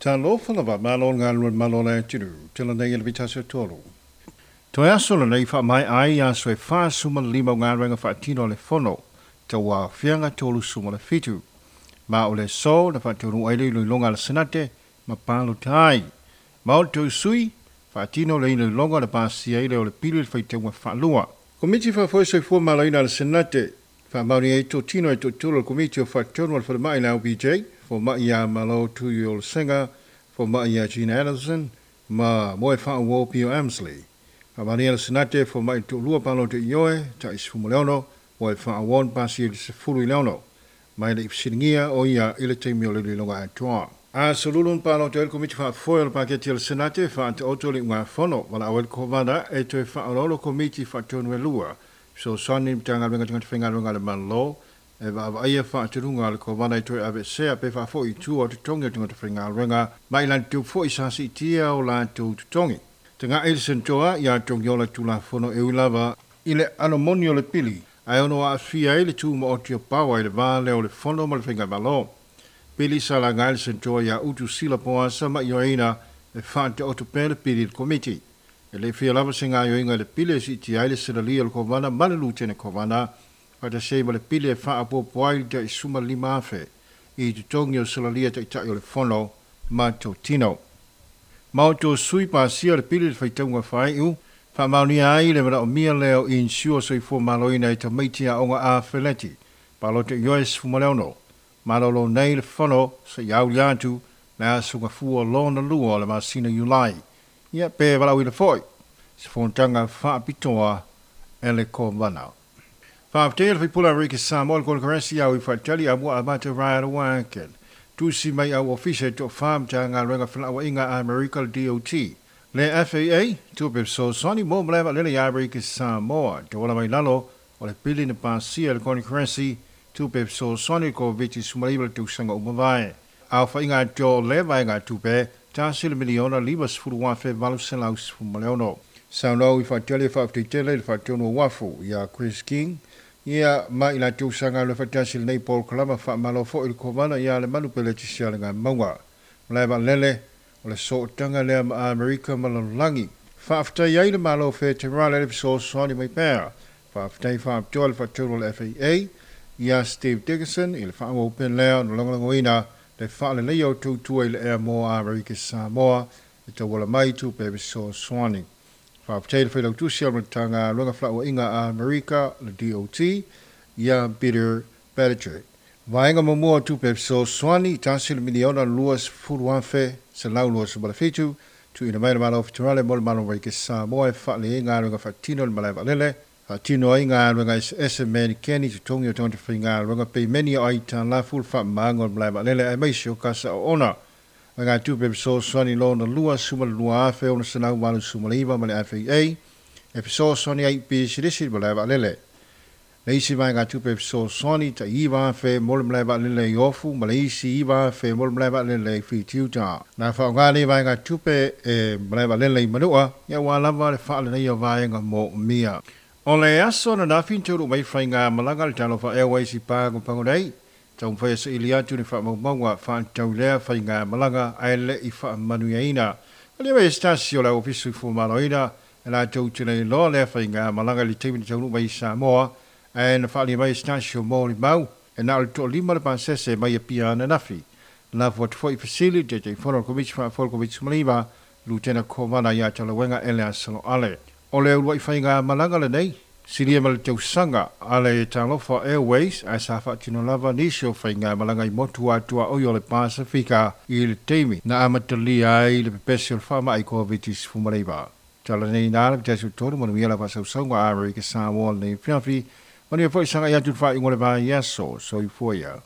Talofa lava malo galue malo le atunuu, tala nei i le vitasi o tolu. Toe aso lenei faamaea ai aso e 45 o galuega faatino a le Fono tau aafiaga 37. Ma o le aso na faataunuu ai le iloiloga a le Senate ma palota ai. Ma o le tou sui faatino le iloiloga na pasia ai lea o le pili i le faitauga faalua. Komiti Faafoe Soifua Maloloina a le Senate faamaonia ai totino e toatolu o le Komiti o Faatonu a le Falemai le LBJ, Fomai ia Malo Tuiolosega, Fomai ia Gina Anderson, ma Moe Faauo Pio Amsley. Faamaonia le Senate Fomai le toalua palota ioe, tai 16, Moe Faauo na pasia i le 16. Mai le i fesiligia o ia i le taimi o le iloiloga atoa. Aso Lulu na palota ai le Komiti Faafoe o le Paketi a le Senate faataoto le iugafono valaau ai le Kovana e toe faaoloolo Komiti Faatonu e lua fesoasoani i le Matagaluega o Tagata Faigaluega a le Malo e vaavaaia faatonuga a le Kovana e toe aveesea pe faafoi i tua o totogi o tagata faigaluega ma i latou foi sa siitia o latou totogi. Taga'i le Senatoa ia Togiola Tulafono e ui lava i le ʻano moni o le pili ae ono aafia ai le tumaoti o paoa i le va lea o le Fono ma le Faigamalo. Pili sa laga ai le Senatoa ia Utu Sila Poasa ma ioeina e faataoto pea le pili i le Komiti. E le i fia lava se gaoioiga i le pili e siitia ai le selalia o le Kovana ma le Lutene Kovana faatasi ai ma le pili e faaopoopo ai le tai 15,000 i totogi o selalia taitai o le Fono ma totino. Ma o tou sui pasia le pili i le faitauga faaiu, faamaonia ai le manaomia lea o insure soifua maloloina i tamaiti aoga a feleti, palota ioe 16. Malolo nei le Fono seia aulia atu le aso Gafua lona lua o le masina Iulai. Ia pe valaauina foi se fonotaga faapitoa e le Kovana. Faafetai a le faipule a Amerika Samoa i le Konekarasi au i Faatali Amua Amata Ryan Wacken. Tusi mai au ofisa e toafa Matagaluega Felauaiga a Amerika le DOT. Le FAA, tupe fesoasoani mo malae vaalele ia Amerika Samoa. Tauala mai lalo o le pili na pasia e le Konekarasi, tupe fesoasoani i le Koviti-19 i le tausaga ua mavae. Aofaiga atoa o lea vaegatupe, $1,050,816. Saunoa i Faatali e faafetai tele i le Faatonu o Uafu ia Chris King, ia ma i latou sa galulue faatasi i lenei polokalama. Faamalo foi i le Kovana ia Lemanu Peletisia Alegamauga. Malae vaalele, o le sootaga lea ma Amerika ma lalolagi. Faafetai ai le Malo Feterale i le fesoasoani mai pea. Faafetai faapitoa i le Faatonu o le FAA ia Steve Dickerson i le faaauau pea lea ona lagolagoina le faaleleia o tautua i le ea mo Amerika Samoa e tauala mai tupe fesoasoani. Faafetai i le Failautusi o le Matagaluega Felauaiga a Amerika, le DOT, ia Peter Buttigieg. Vaega muamua o tupe fesoasoani, $1,020,127, tuuina mai le Malo Feterale mo le Malo o Amerika Samoa e faalelei ai galuega faatino i le malae vaalele, faatino ai galuega eseese menikeni, totogi o tagata faigaluega, peimeni o aitalafu, le faamamaga o le malae vaalele aemaise o kasa oona. Vaegatupe fesoasoani lona lua, $12,689 ma le FAA e fesoasoani ai i pisinisi i le malae vaalele. Le isi vaegatupe fesoasoani tai $9,000 mo le malae vaalele i Ofu ma le isi $9,000 mo le malae vaalele i Fitiuta. Na faaaoga nei vaegatupe e malae vaalele i Manua aua lava le faaleleia o vaega moomia. O le aso ananafi na taunuu mai faigamalaga a le Talofa Airways i Pagopago nei, taumafai e saili atu ni faamaumauga faatatau i lea faigamalaga ae le i faamanuiaina. Malie mai se tasi o le au Ofisa Soifua Maloloina e latou te le iloa lea faigamalaga i le taimi na taunuu mai i Samoa, ae na faaalia mai e se tasi o molimau e na o le toalima le pasese mai Apia ananafi. Lafo atu foi i fesili i le Taitaifono o le Komiti Faafoe o le Koviti-19, Lutena Kovana ia Talauega Eleasa Loale. O le uluai faigamalaga lenei, silia ma le tausaga a le Talofa Airways, ae sa faatino lava nisi o faigamalaga i motu atuaoi o le Pasefika i le taimi na amatalia ai le pepesi o le faamai Koviti-19. Tala nei na le 33 manuia la faasausauga a Amerika Samoa lenei afiafi. Manuia foi sagai atu i le faaiuga o le vaiaso. Soifua ia.